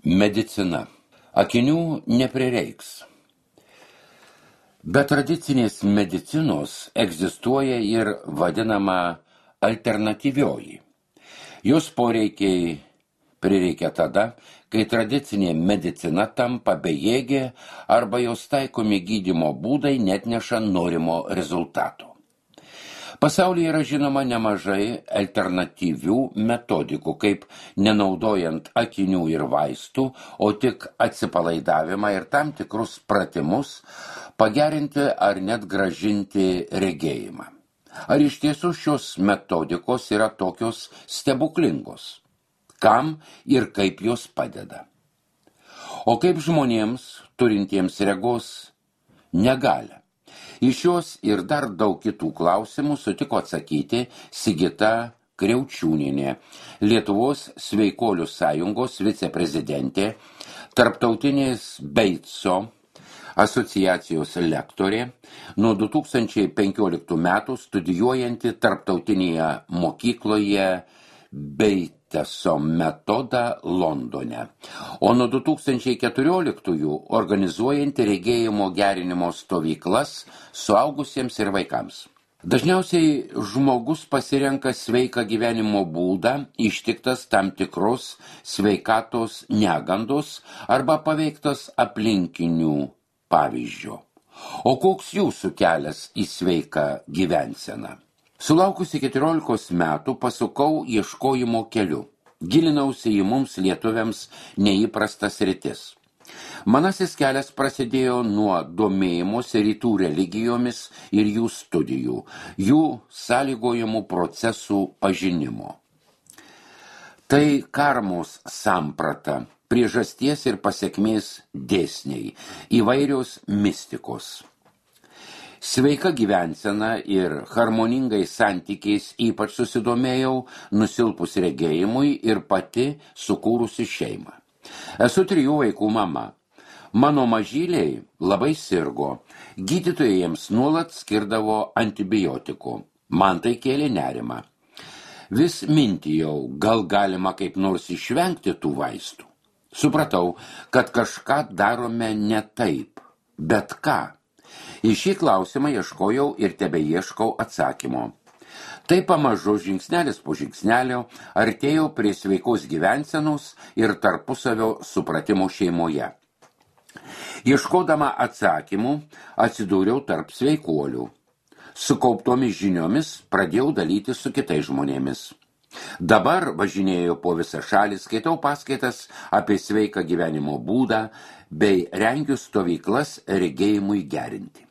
Medicina. Akinių neprireiks. Be tradicinės medicinos egzistuoja ir vadinama alternatyvioji. Jos poreikiai prireikia tada, kai tradicinė medicina tampa bejėgė arba jos taikomi gydymo būdai netneša norimo rezultato. Pasaulyje yra žinoma nemažai alternatyvių metodikų, kaip nenaudojant akinių ir vaistų, o tik atsipalaidavimą ir tam tikrus pratimus pagerinti ar net grąžinti regėjimą. Ar iš tiesų šios metodikos yra tokios stebuklingos? Kam ir kaip jos padeda? O kaip žmonėms, turintiems regos negalią? Iš šios ir dar daug kitų klausimų sutiko atsakyti Sigita Kriaučiūnienė, Lietuvos sveikolių sąjungos viceprezidentė, Tarptautinės Beitso asociacijos lektorė, nuo 2015 metų studijuojanti Tarptautinėje mokykloje Beiteso metodą Londone, o nuo 2014 organizuojanti regėjimo gerinimo stovyklas suaugusiems ir vaikams. Dažniausiai žmogus pasirenka sveiką gyvenimo būdą, ištiktas tam tikros sveikatos negandos arba paveiktas aplinkinių pavyzdžio. O koks jūsų kelias į sveiką gyvenseną? Sulaukusi 14 metų pasukau ieškojimo keliu. Gilinausi į mums lietuviams neįprastas sritis. Manasis kelias prasidėjo nuo domėjimosi rytų religijomis ir jų studijų, jų sąlygojamų procesų pažinimo. Tai karmos samprata, priežasties ir pasekmės dėsniai, įvairios mistikos. Sveika gyvensena ir harmoningais santykiais ypač susidomėjau nusilpus regėjimui ir pati sukūrusi šeimą. Esu 3 vaikų mama. Mano mažyliai labai sirgo. Gydytojai jiems nuolat skirdavo antibiotikų. Man tai kėlė nerimą. Vis mintijau, gal galima kaip nors išvengti tų vaistų. Supratau, kad kažką darome ne taip. Bet ką? Į šį klausimą ieškojau ir tebeieškau atsakymo. Tai pamažu žingsnelis po žingsnelio artėjau prie sveikos gyvensenos ir tarpusavio supratimo šeimoje. Ieškodama atsakymų atsidūriau tarp sveikuolių. Sukauptomis žiniomis pradėjau dalytis su kitais žmonėmis. Dabar važinėjau po visą šalį, skaitau paskaitas apie sveiką gyvenimo būdą bei rengiu stovyklas regėjimui gerinti.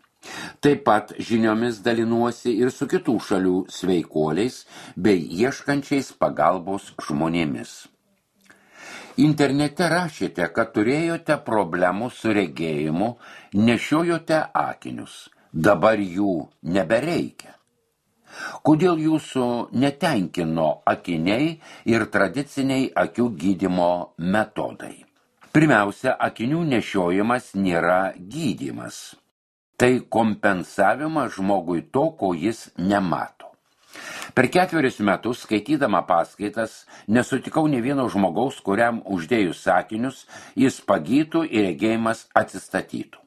Taip pat žiniomis dalinuosi ir su kitų šalių sveikuoliais bei ieškančiais pagalbos žmonėmis. Internete rašėte, kad turėjote problemų su regėjimu, nešiojote akinius. Dabar jų nebereikia. Kodėl jūsų netenkino akiniai ir tradiciniai akių gydymo metodai? Pirmiausia, akinių nešiojimas nėra gydymas. Tai kompensavimas žmogui to, ko jis nemato. Per 4 metus, skaitydama paskaitas, nesutikau nė vieno žmogaus, kuriam uždėjus akinius, jis pagytų ir regėjimas atsistatytų.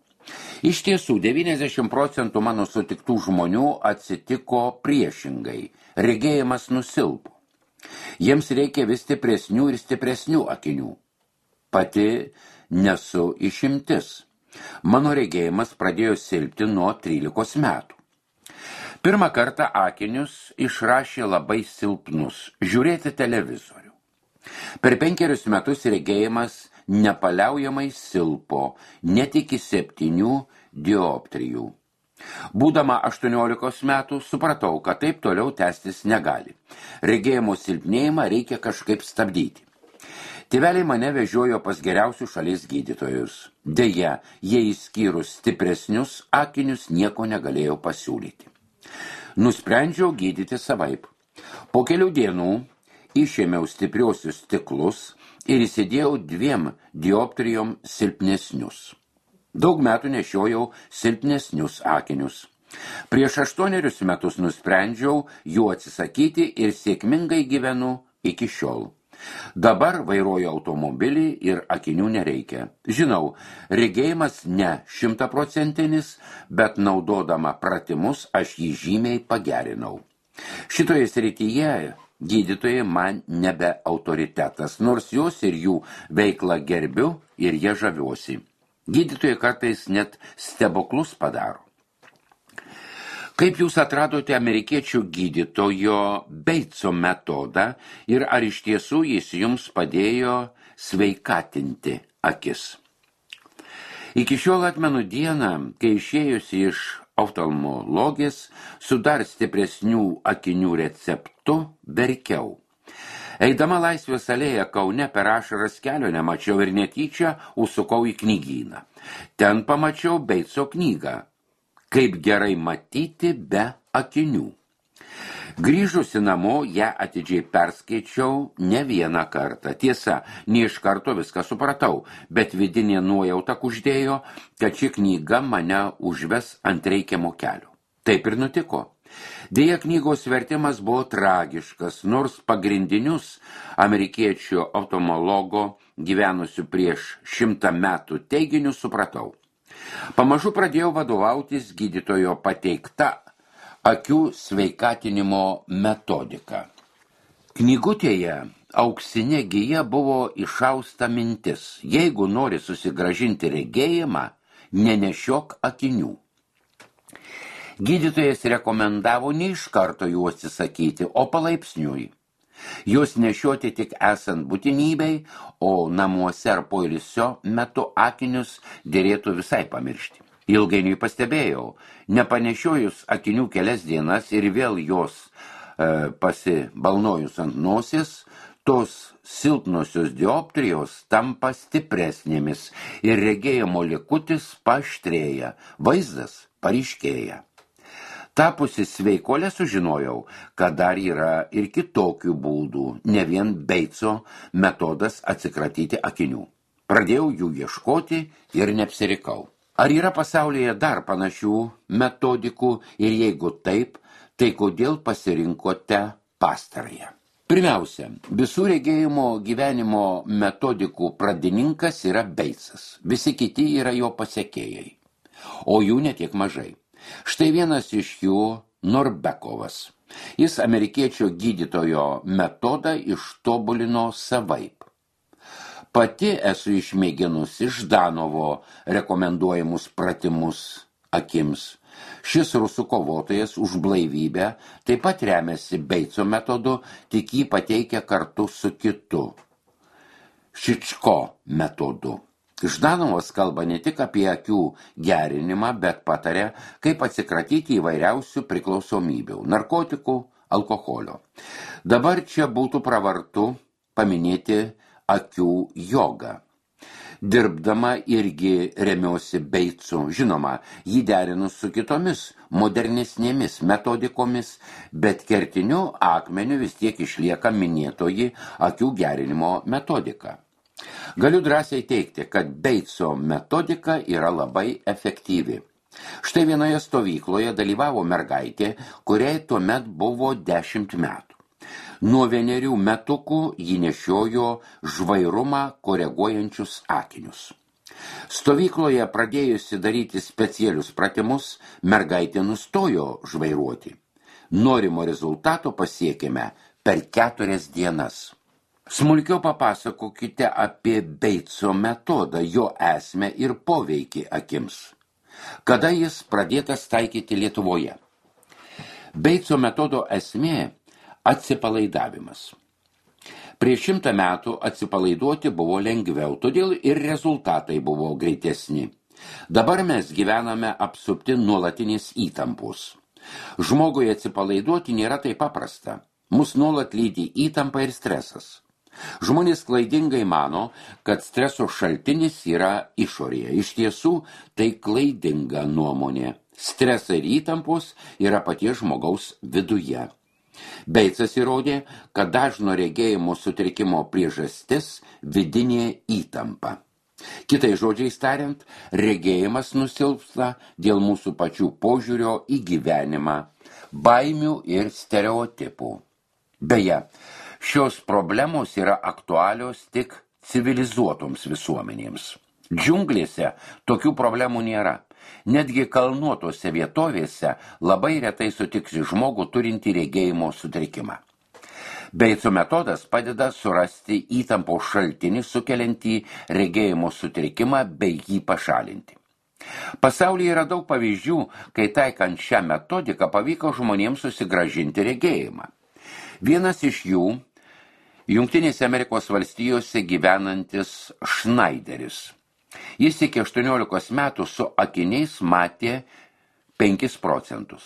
Iš tiesų, 90% mano sutiktų žmonių atsitiko priešingai. Regėjimas nusilpo. Jiems reikia vis stipresnių ir stipresnių akinių. Pati nesu išimtis. Mano regėjimas pradėjo silpti nuo 13 metų. Pirmą kartą akinius išrašė labai silpnus – žiūrėti televizorių. Per 5 metus regėjimas nepaliaujamai silpo, net iki 7 dioptrijų. Būdama 18 metų supratau, kad taip toliau tęstis negali. Regėjimo silpnėjimą reikia kažkaip stabdyti. Tėveliai mane vežiojo pas geriausius šalies gydytojus. Deja, jie išskyrus stipresnius akinius nieko negalėjo pasiūlyti. Nusprendžiau gydyti savaip. Po kelių dienų išėmiau stipriosius stiklus ir įsidėjau 2 dioptrijom silpnesnius. Daug metų nešiojau silpnesnius akinius. Prieš 8 metus nusprendžiau jų atsisakyti ir sėkmingai gyvenu iki šiol. Dabar vairuoju automobilį ir akinių nereikia. Žinau, regėjimas ne 100%, bet naudodama pratimus aš jį žymiai pagerinau. Šitoje srityje gydytojai man nebe autoritetas, nors jos ir jų veiklą gerbiu ir jie žaviuosi. Gydytojai kartais net stebuklus padaro. Kaip jūs atradote amerikiečių gydytojo Beitso metodą ir ar iš tiesų jis jums padėjo sveikatinti akis? Iki šiol atmenu dieną, kai išėjusi iš oftalmologės su dar stipresnių akinių receptu verkiau. Eidama Laisvės alėją Kaune per ašaras kelio nemačiau ir netyčia užsukau į knygyną. Ten pamačiau Beitso knygą. Kaip gerai matyti be akinių. Grįžusi namo, ją atidžiai perskaičiau ne vieną kartą. Tiesa, ne iš karto viską supratau, bet vidinė nuojauta kuždėjo, kad ši knyga mane užves ant reikiamo kelio. Taip ir nutiko. Deja, knygos vertimas buvo tragiškas, nors pagrindinius amerikiečių oftalmologo gyvenusių prieš 100 metų teiginius supratau. Pamažu pradėjau vadovautis gydytojo pateikta akių sveikatinimo metodika. Knygutėje auksinė gija buvo išausta mintis: jeigu nori susigrąžinti regėjimą, nenešiok akinių. Gydytojas rekomendavo ne iš karto jų atsisakyti, o palaipsniui. Jos nešioti tik esant būtinybei, o namuose ar poilsio metu akinius dėrėtų visai pamiršti. Ilgainiui pastebėjau, nepanešiojus akinių kelias dienas ir vėl jos pasibalnojus ant nosies, tos silpnosios dioptrijos tampa stipresnėmis ir regėjimo likutis paaštrėja, vaizdas paryškėja. Tapusi sveikolė sužinojau, kad dar yra ir kitokių būdų, ne vien Beitso metodas atsikratyti akinių. Pradėjau jų ieškoti ir neapsirikau. Ar yra pasaulyje dar panašių metodikų ir jeigu taip, tai kodėl pasirinkote pastarąją? Pirmiausia, visų regėjimo gyvenimo metodikų pradininkas yra Beitsas, visi kiti yra jo pasekėjai, o jų netiek mažai. Štai vienas iš jų Norbekovas. Jis amerikiečio gydytojo metodą ištobulino savaip. Pati esu išmėginusi Ždanovo rekomenduojamus pratimus akims. Šis rusų kovotojas už blaivybę taip pat remiasi Beitso metodu, tik jį pateikia kartu su kitu Šičko metodu. Ždanovas kalba ne tik apie akių gerinimą, bet pataria, kaip atsikratyti įvairiausių priklausomybių, narkotikų, alkoholio. Dabar čia būtų pravartu paminėti akių jogą. Dirbdama irgi remiuosi Beitsu, žinoma, jį derinus su kitomis modernesnėmis metodikomis, bet kertiniu akmeniu vis tiek išlieka minėtoji akių gerinimo metodika. Galiu drąsiai teigti, kad Beitso metodika yra labai efektyvi. Štai vienoje stovykloje dalyvavo mergaitė, kuriai tuomet buvo 10 metų. Nuo 1 metukų ji nešiojo žvairumą koreguojančius akinius. Stovykloje pradėjusi daryti specialius pratimus, mergaitė nustojo žvairuoti. Norimo rezultato pasiekėme per 4 dienas. Smulkiau papasakokite apie Beitso metodą, jo esmę ir poveikį akims. Kada jis pradėtas taikyti Lietuvoje? Beitso metodo esmė – atsipalaidavimas. Prieš 100 metų atsipalaiduoti buvo lengviau, todėl ir rezultatai buvo greitesni. Dabar mes gyvename apsupti nuolatinės įtampos. Žmogui atsipalaiduoti nėra taip paprasta. Mus nuolat lydi įtampa ir stresas. Žmonės klaidingai mano, kad streso šaltinis yra išorėje. Iš tiesų, tai klaidinga nuomonė. Stresai ir įtampos yra paties žmogaus viduje. Beitsas įrodė, kad dažno regėjimo sutrikimo priežastis vidinė įtampa. Kitai žodžiais tariant, regėjimas nusilpsta dėl mūsų pačių požiūrio į gyvenimą, baimių ir stereotipų. Beje, Šios problemos yra aktualios tik civilizuotoms visuomenėms. Džiunglėse tokių problemų nėra. Netgi kalnuotose vietovėse labai retai sutiksi žmogų turintį regėjimo sutrikimą. Beitso metodas padeda surasti įtampos šaltinį sukeliantį regėjimo sutrikimą bei jį pašalinti. Pasaulyje yra daug pavyzdžių, kai taikant šią metodiką pavyko žmonėms susigrąžinti regėjimą. Vienas iš jų – Jungtinėse Amerikos valstijose gyvenantis Schneideris. Jis iki 18 metų su akiniais matė 5%.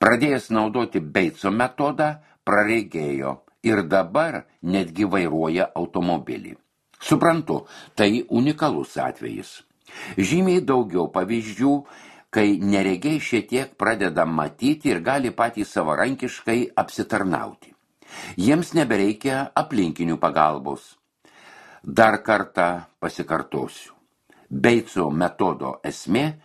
Pradėjęs naudoti Beitso metodą, praregėjo ir dabar netgi vairuoja automobilį. Suprantu, tai unikalus atvejis. Žymiai daugiau pavyzdžių, kai neregiai šiek tiek pradeda matyti ir gali patys savarankiškai apsitarnauti. Jiems nebereikia aplinkinių pagalbos. Dar kartą pasikartosiu. Beitso metodo esmė –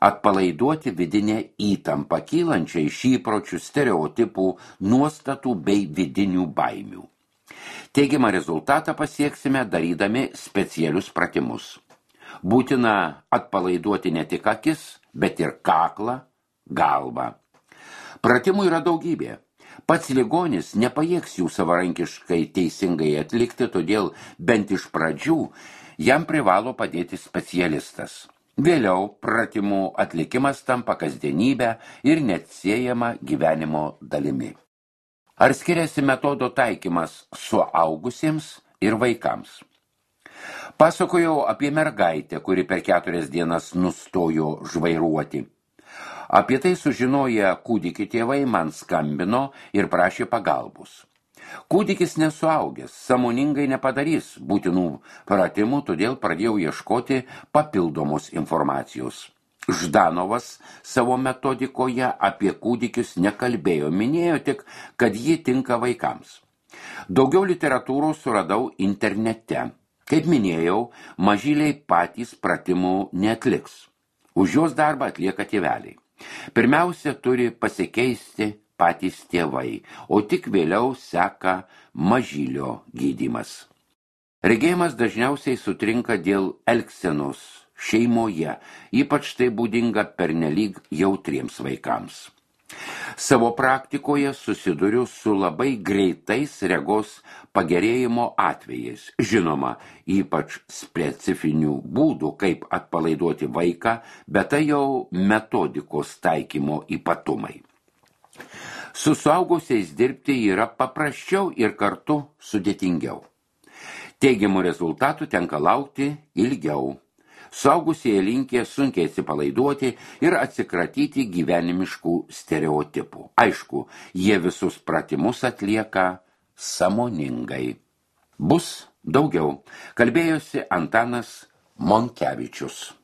atpalaiduoti vidinę įtampą kylančią iš įpročių, stereotipų, nuostatų bei vidinių baimių. Teigiamą rezultatą pasieksime darydami specialius pratimus. Būtina atpalaiduoti ne tik akis, bet ir kaklą, galvą. Pratimų yra daugybė. Pats ligonis nepajėgs jų savarankiškai teisingai atlikti, todėl bent iš pradžių jam privalo padėti specialistas. Vėliau pratimų atlikimas tampa kasdienybę ir neatsiejama gyvenimo dalimi. Ar skiriasi metodo taikymas suaugusiems ir vaikams? Pasakojau apie mergaitę, kuri per 4 dienas nustojo žvairuoti. Apie tai sužinoję kūdikį tėvai man skambino ir prašė pagalbos. Kūdikis nesuaugęs, sąmoningai nepadarys būtinų pratimų, todėl pradėjau ieškoti papildomos informacijos. Ždanovas savo metodikoje apie kūdikius nekalbėjo, minėjo tik, kad ji tinka vaikams. Daugiau literatūros suradau internete. Kaip minėjau, mažyliai patys pratimų neatliks. Už jos darbą atlieka tėveliai. Pirmiausia, turi pasikeisti patys tėvai, o tik vėliau seka mažylio gydymas. Regėjimas dažniausiai sutrinka dėl elgsenos šeimoje, ypač tai būdinga pernelyg jautriems vaikams. Savo praktikoje susiduriu su labai greitais regos pagerėjimo atvejais. Žinoma, ypač specifinių būdų, kaip atpalaiduoti vaiką, bet tai jau metodikos taikymo ypatumai. Su suaugusiais dirbti yra paprasčiau ir kartu sudėtingiau. Teigiamų rezultatų tenka laukti ilgiau. Suaugusieji linkę sunkiai atsipalaiduoti ir atsikratyti gyvenimiškų stereotipų. Aišku, jie visus pratimus atlieka sąmoningai. Bus daugiau. Kalbėjosi Antanas Monkevičius.